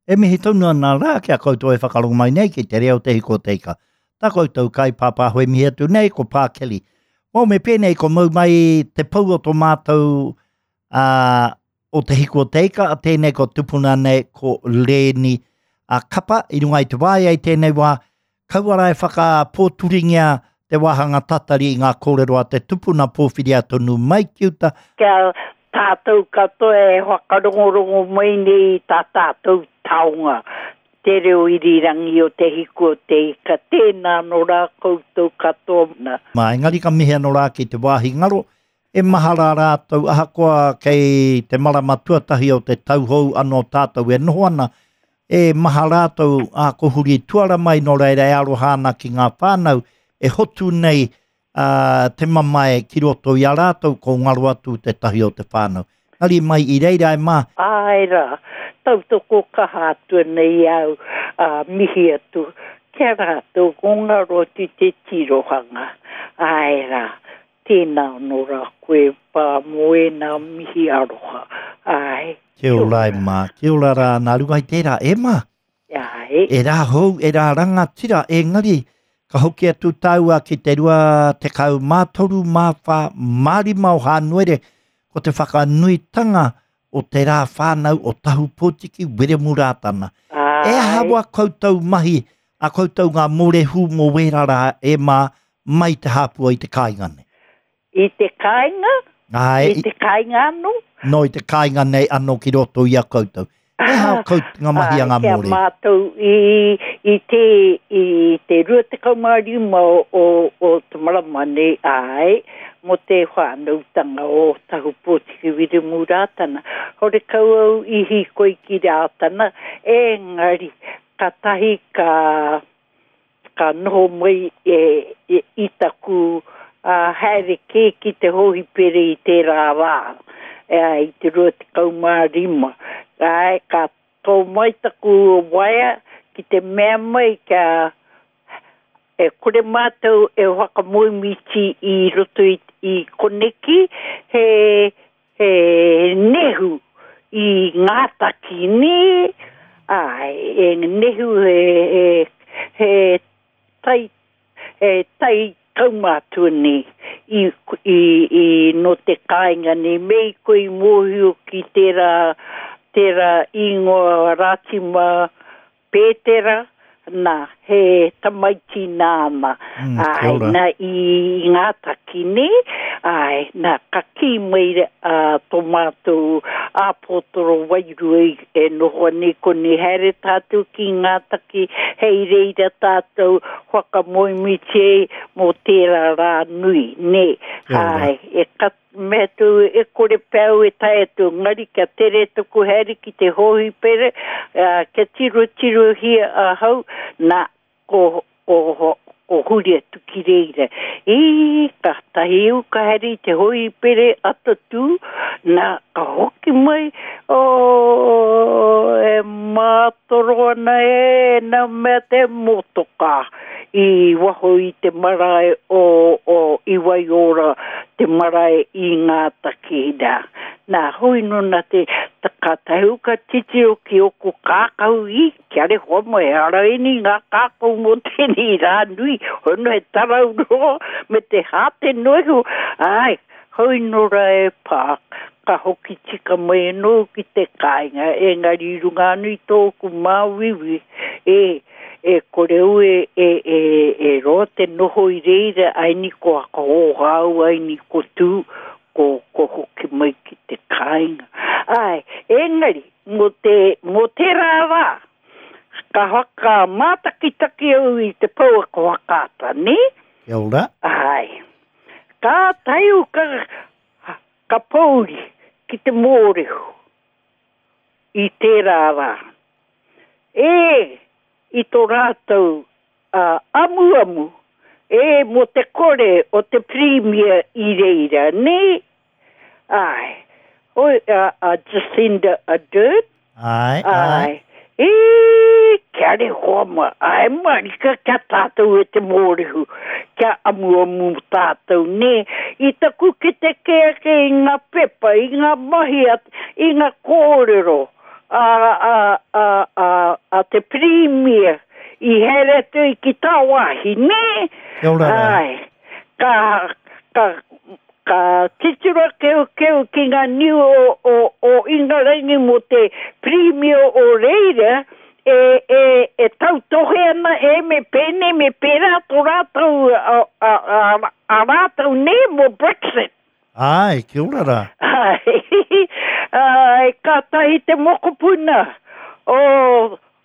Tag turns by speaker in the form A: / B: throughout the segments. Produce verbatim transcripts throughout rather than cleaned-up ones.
A: E mihi tonu ana rā ki a koutou e whakarongo mai nei ki te reo te hiko o te ika. Tā koutou kai pāpāho e mihi atu nei ko Pā Kelly. Mō me pēnei ko mau mai te pou o tō mātou uh, o te hiko o te ika, a tēnei ko tupuna nei ko Lēni a Kapa i runga i te waea i tēnei wā, kaua rā e whakapōturingia te wāhanga tatari i ngā kōrero a te tupuna pōwhiria tonu mai ki uta.
B: Kia tātou katoa e whakarongorongo mai nei i tā tātou taonga, te reo irirangi o te hiku o te ika, tēnā anō rā koutou katoa.
A: Mā, engari ka mihi anō rā ki te wāhi ngaro, e maha rā rātou ahakoa kei te marama tuatahi o te tauhou anō tātou e noho ana, e maha rātou a ko huri tuara mai nō reira e aroha ana ki ngā whānau e hotu nei uh, te mamae ki roto i a rātou ko ngaro atu te tahi o te whānau. Ngari mai i reira e mā.
B: Āe rā, tautoko kaha atu nei au, uh, mihi atu kia rātou ko ngaro atu te tirohanga. Āe rā, tēnā anō rā koe pā mō ēnā mihi aroha. Āe.
A: Kia ora e mā, kia ora rā, nā runga i tērā e mā.
B: Āe.
A: E rā hou, e rā rangatira, engari, ka hoki atu tāua ki te rua tekau mā toru mā whā mā rima o Hānuere, ko te whakanuitanga o te rā whānau o Tahu Pōtiki Wiremu Rātana.
B: Āe.
A: E aha wā koutou mahi, a koutou ngā mōrehu mō wērā rā e mā mai te hāpua i te kāinga nei?
B: I te kāinga?
A: Āe.
B: I te kāinga anō?
A: No, i te kāinga nei anō ki roto i a koutou. E hao koutou ngā mahi a ngā
B: Kia
A: mōrehu?
B: mātou i, i te, i te rua tekau mā rima o, o, o te marama nei, āe, mō te whānautanga o Tahu Pōtiki Wiremu Rātana. Horekau au i hīkoi ki Rātana, engari, ka tahi ka, ka noho mai e, e, i taku uh, haere kē ki te hōhipere i tērā rā, e, i te rua tekau mā rima. Āe, ka tō mai taku waea ki te mea mai kia e kore mātou e whakamoemiti i roto i, i koneki, he, he nehu i Ngātaki nē, āe, e nehu he, he, he tai, he tai kaumātua nei i, i, i no te kāinga nei, me i koe i mōhio ki tērā, tērā ingoa Rātima Pētera, nā, he tamaiti nāna.
A: Mm, kia
B: Āe,
A: ora.
B: nā, i Ngātaki nei, āe, nā, ka kī mai uh, tō mātou āpotoro wairua i e noho nei koni haere tātou ki Ngātaki, hei reira tātou whakamoemiti ai mō tērā rā nui, nē.
A: Kia ora.
B: Āe, e ka mea tū e kore pēu e tae atu, ngari kia tere tuku haere ki te hōhipere, uh, kia tiro tirohia ahau, nā, ko, ko, ko huri atu ki reira. I, ka tahi au ka haere i te hōhipere atatū, nā, ka hoki mai, o, e mātoro ana e, nā mea te motokā i waho i te marae o, o i Waiora, te marae i Ngātaki nā. Nā, hoi nō nā te, ta, ka tahu ka titiro ki oku kākau i, kia re hoa mai, ara eni ngā kākau mō tēnei rā nui, hoi no he tarau roa, me te hāte noehu, ai, hoi nō rā e pā, ka hoki tika mai anō ki te kāinga, engari runga anu i tōku māuiui, e, e kore au e, e, e, e roa te noho i reira, ai ni ko whakahōhau, ai ni ko tū, ko, ko hoki mai ki te kāinga. Ai, engari, mō te, mō tērā rā, ka whaka mātakitaki au i te pouaka whakaata, nē?
A: Kia ora.
B: Ai. Ka taiu ka, ka pōuri ki te mōrehu i tērā rā. E, i tō rātou uh, amuamu, e mō te kore o te Premier i reira, nē? Ai. Oi, uh, uh, Jacinda Ardern.
A: Ai, ai.
B: Ai. E, kia re hoa ma, ai marika kia tātou e te mōrehu, kia amuamu tātou, nē? I taku ki te kēke i ngā pepa, i ngā mahi, i ngā kōrero, a, a, a, a, a te Pirimia i haere atu i ki tāwāhi, nē?
A: Kia ora rā.
B: Ai, ka, ka, ka titiro keukeu ki ngā niu o, o, o Ingarangi mō te Pirimia o reira, e, e, e tautohe ana e me pēnei me pērā tō rātou, a, a, a, a rātou nē mō Brexit.
A: Ai, kia ora rā.
B: Ai, ai, kātahi te mokopuna o,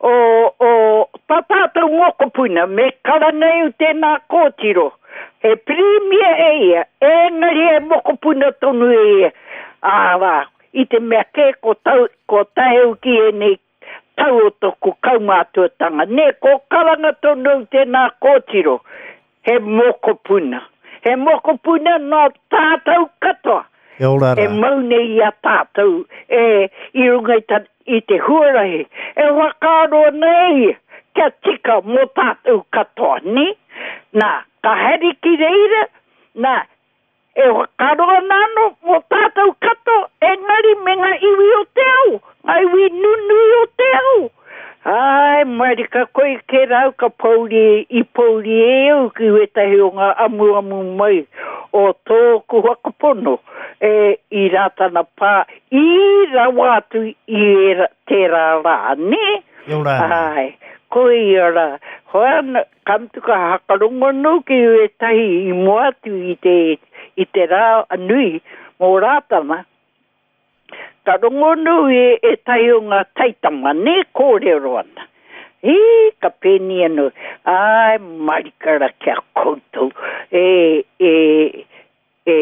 B: o, o, tā tātou mokopuna, me karanga au tēnā kōtiro. He pirimia e ia, engari he mokopuna tonu e ia. Ā rā, i te mea kē ko tau, ko taeu ki ēnei tau o tōku kaumātuatanga. Nē, ko karanga tonu au tēnā kōtiro, he mokopuna. He mokopuna nō tātou katoa.
A: Kia ora
B: E
A: rā.
B: mau nei i a tātou, e, i runga i, ta, i te huarahi. E whakaaro ana e ia, kia tika mō tātou katoa, nē? Nā, ka haere ki reira, nā, e whakaaro ana anō mō tātou katoa, engari me ngā iwi o te ao, ngā iwi nunui o te ao. Ai, marika koe ke rau ka pouri, i pouri e au ki wetahi o ngā amuamu mai o tōku whakapono e i Rātana Pā, i rawa atu i era, tērā rā, nē?
A: Kia ora.
B: Ai, koe ia rā. Hoi ana, ka mutu ka hakarongo anō ki wetahi i mua atu i te, i te rā nui mō Rātana. Ka rongo anō e, e tai o ngā taitama, nē, kōrero ana. E, ka pēni anō, ai, marika rā kia koutou. E, e, e,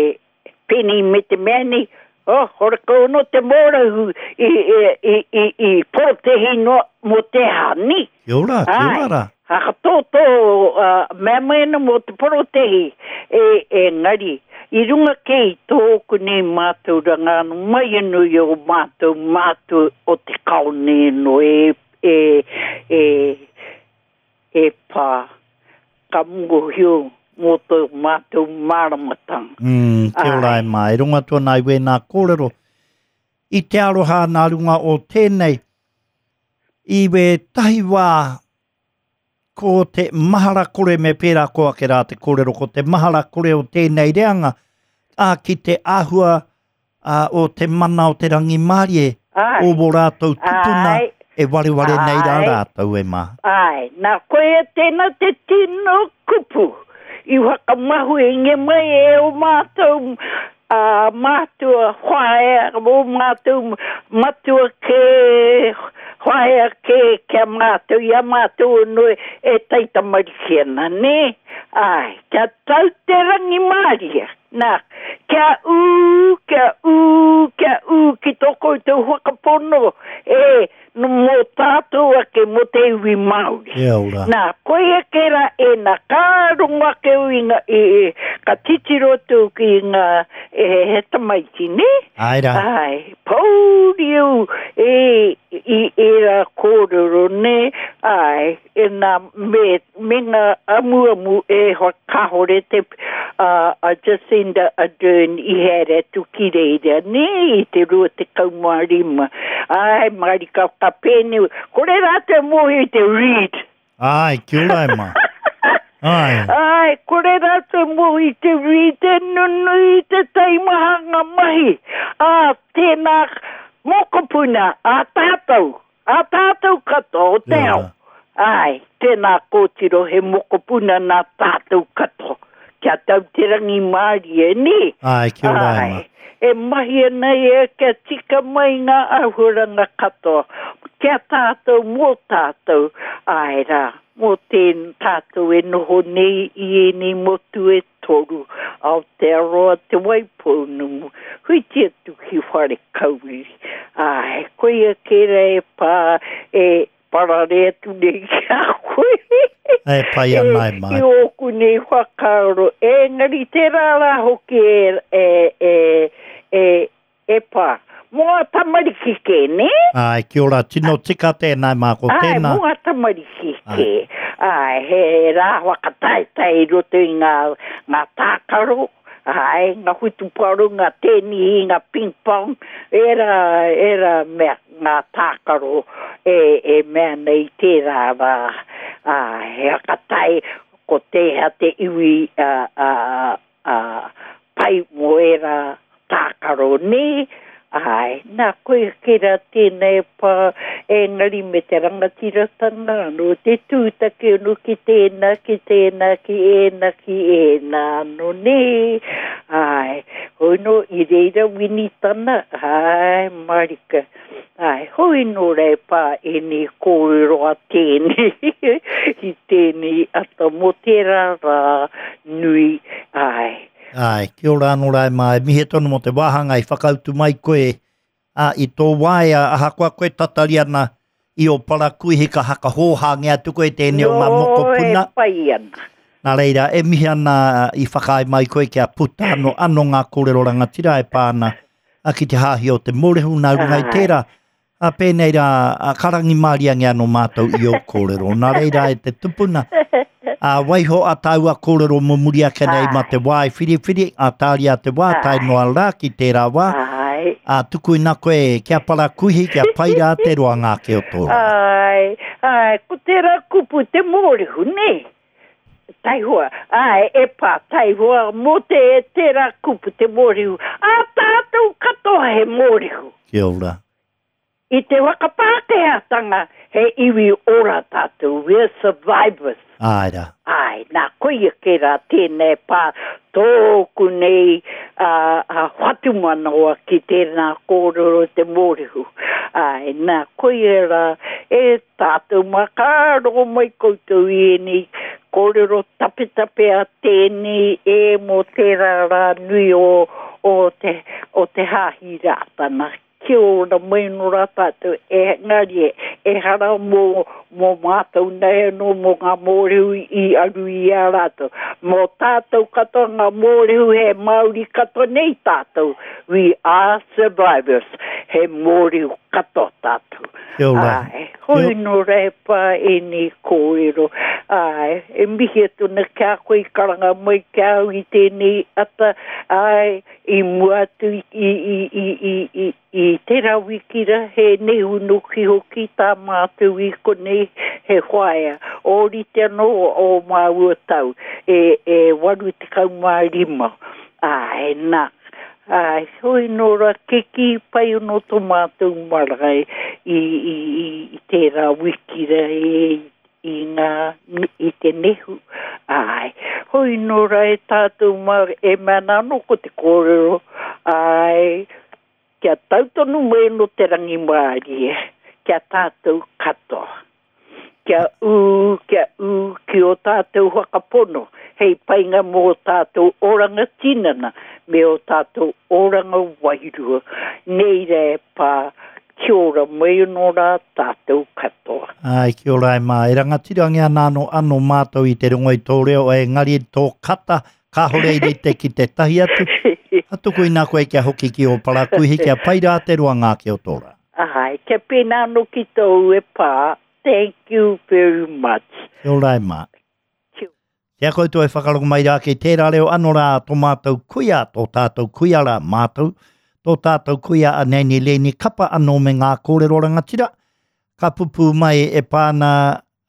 B: pēni me te mea nei, oh, horakau anō te mōrahu i, i, i, i, i porotehi noa mō te aha, nē?
A: Kia ora, kia ora rā.
B: Hakatōtō, uh, mea mai ana mō te porotehi, e, e ngari. I runga kē i tōku nei mātauranga anō, mai anō i o mātou mātou o te kao nei anō, e, e, e, e pā, ka mōhio mō tō mātou māramatanga.
A: Mm, kia ora
B: Ai.
A: e mā, e runga atu ana i wēnā kōrero. I te aroha nā runga o tēnei, i we tahi wā ko te mahara kore me pērā ko ake rā te kōrero, ko te mahara kore o tēnei reanga, ā, ki te āhua ā, o te mana o te rangimārie,
B: Ai.
A: o wō rātou tupuna,
B: Ai.
A: e wareware nei rā
B: Ai.
A: rātou e mā.
B: Ai, nā koe tēnā te tino kupu i whakamahuinge mai e o mātou a mātua whaea, o mātou matua ke, whaea ke kia mātou, i a mātou anō e taitamariki ana, nē? Ai, kia tau te rangimārie. Nā, kia ū, kia ū, kia ū ki tō koutou whakapono, e, no mō tātou ake mō te iwi Māori.
A: Kia ora.
B: Nā, koia ke rā e nā, ka rongo ake au i ngā, e, e, ka titiro atu ki ngā, e, he tamaiti, nē?
A: Ai rā.
B: Ai, pōuri au e, i era kōrero, nē? Ai, e nā, me, me ngā amuamu e hoa kāhore te, a, a Jacinda Ardern i haere atu ki reira, nē, i te rua tekau mā rima. Ai, marika ka pēne, kore rātou mōhio i te read.
A: Ai, kia ora e mā. Ai.
B: Ai, kore rātou mōhio i te read, te nunui, te taimaha ngā mahi. Ā, tēnā mokopuna, a tātou, a tātou katoa o te
A: Kia
B: ao.
A: ora.
B: Ai, tēnā kōtiro he mokopuna nā tātou katoa. Kia tau te rangimārie, nē?
A: Ai, kia ora e mā.
B: Ai, e mahi ana ia kia tika mai ngā āhuaranga katoa. Kia tātou, mō tātou, ai rā, mō tēn tātou e noho nei i ēnei motu e toru, Aotearoa Te Waipounamu, huiti atu ki Wharekauri. Ai, koia kēra e pā, e parare atu nei ki a koe.
A: E pai ana e mā.
B: I ōku nei whakaaro, engari tērā rā hoki e, e, e, e, e pā. Mō ngā tamariki kē, nē?
A: Ai, kia ora, tino tika tēnā e mā, ko
B: Ai,
A: tēnā.
B: mō ngā tamariki
A: Ai.
B: kē. Ai, he rā whakataetae i roto i ngā, ngā tākaro. Āe, ngā whutupaoro, ngā tēnihi, ngā ping-pong, ērā, ērā mea, ngā tākaro e, e mea nei tērā rā. Āe, he whakatae ko tēhea te iwi a, a, a, pai mō ērā tākaro nē. Āe, nā, koia kē rā tēnei pā, engari me te rangatiratanga anō, te tūtaki anō ki tēnā, ki tēnā, ki ēnā, ki ēnā anō, nē. Āe, hoi nō i reira Winitana, āe, marika. Āe, hoi nō rā e pā ēnei kōrero a tēnei, i tēnei ata mō tērā rā nui, āe.
A: Āe, kia ora anō rā e mā, e mihi tonu mō te wāhanga i whakautu mai koe ā, i tō waea, ahakoa koe tatari ana i ō parakuihi ka hakahōhāngia atu koe tēnei o ngā mokopuna.
B: Nō, e pai ana.
A: Nā reira, e mihi ana i whakaae mai koe kia puta anō, anō ngā kōrero rangatira e pā ana ki te hāhi o te Mōrehu nā runga i tērā. Ā, pēnei rā, ā, ka rangimāriangia anō mātou i ō kōrero. Nā reira e te tupuna, ā, waiho a tāua kōrero mō muri ake nei mā te wā e whiriwhiri, ā, tāria te wā, tae noa rā ki tērā wā, ā, tukuina koe kia parakuihi, kia pai rā te roanga ake o tō rā.
B: Āe, āe, ko tērā kupu te mōrehu, nē? Taihoa, āe, e pā, taihoa, mō te, tērā kupu te mōrehu. Ā tātou katoa he mōrehu.
A: Kia ora.
B: I te whakapākehātanga, he iwi ora tātou, we are survivors.
A: Āe rā.
B: Āe, nā, koia kē rā tēnei pā tōku nei ā, ā, whatumanawa ki tēnā kōrero te mōrehu. Āe, nā, koia rā, e tātou mā, ka rongo mai koutou i ēnei kōrero tapetape a tēnei e mō tērā rā nui o, o te, o te Hāhi Rātana. Kia ora mai anō rā tātou, engari ehara mō, mō mātou nei anō, mō ngā mōrehu i aru i a rātou. Mō tātou katoa ngā mōrehu he Māori katoa nei tātou. We are survivors. He mōrehu katoa tātou.
A: Kia ora.
B: Āe, hoi nō rā e pā ēnei kōrero. Āe, e mihi atu ana ki a koe i karanga mai ki a au i tēnei ata, āe, i mua atu i, i, i, i, i, i, i tērā wiki rā, he nehu noki hoki tā mātou i konei, he whaea. Ōrite anō ō māua tau, e, e waru tekau mā rima. Āe, nā, āe, hoi nō rā, kikī pai anō tō mātou marae i, i, i, i tērā wiki rā, e, i ngā, i te nehu. Āe, hoi nō rā e tātou mā, e mea ana anō ko te kōrero, āe, kia tau tonu mai anō te rangimārie, kia tātou katoa. Kia ū, kia ū ki ō tātou whakapono, hei painga mō ō tātou oranga tinana me ō tātou oranga wairua. Nei rā e pā, kia ora mai anō rā tātou katoa.
A: Āe, kia ora e mā. E rangatirangia ana anō, anō mātou i te rongo i tō reo, engari tō kata, kāhore i rite ki tētahi atu. Ka tuku ina koe kia hoki ki ō parakuihi, kia pai rā te roanga ake o tō rā.
B: Āe, kia pēnā anō ki tōu e pā. Thank you very much.
A: Kia ora e mā.
B: Kia.
A: Kia koutou e whakarongo mai rā ki tērā reo anō rā tō mātou kuia, tō tātou kuia rā mātou, tō tātou kuia a Nanny Leni Kapa anō me ngā kōrero rangatira, ka pupū mai e pā ana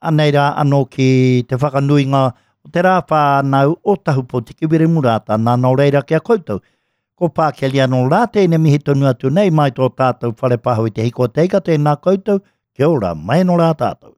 A: anei rā anō ki te whakanuinga o te rā whānau o Tahupotiki Wiremu Rātana, nō reira ki a koutou. Ko Pākeli anō rā tēnei mihi tonu atu nei mai tō tātou whare pāho i te hiko o te ika, tēnā koutou, kia ora, mai anō rā tātou.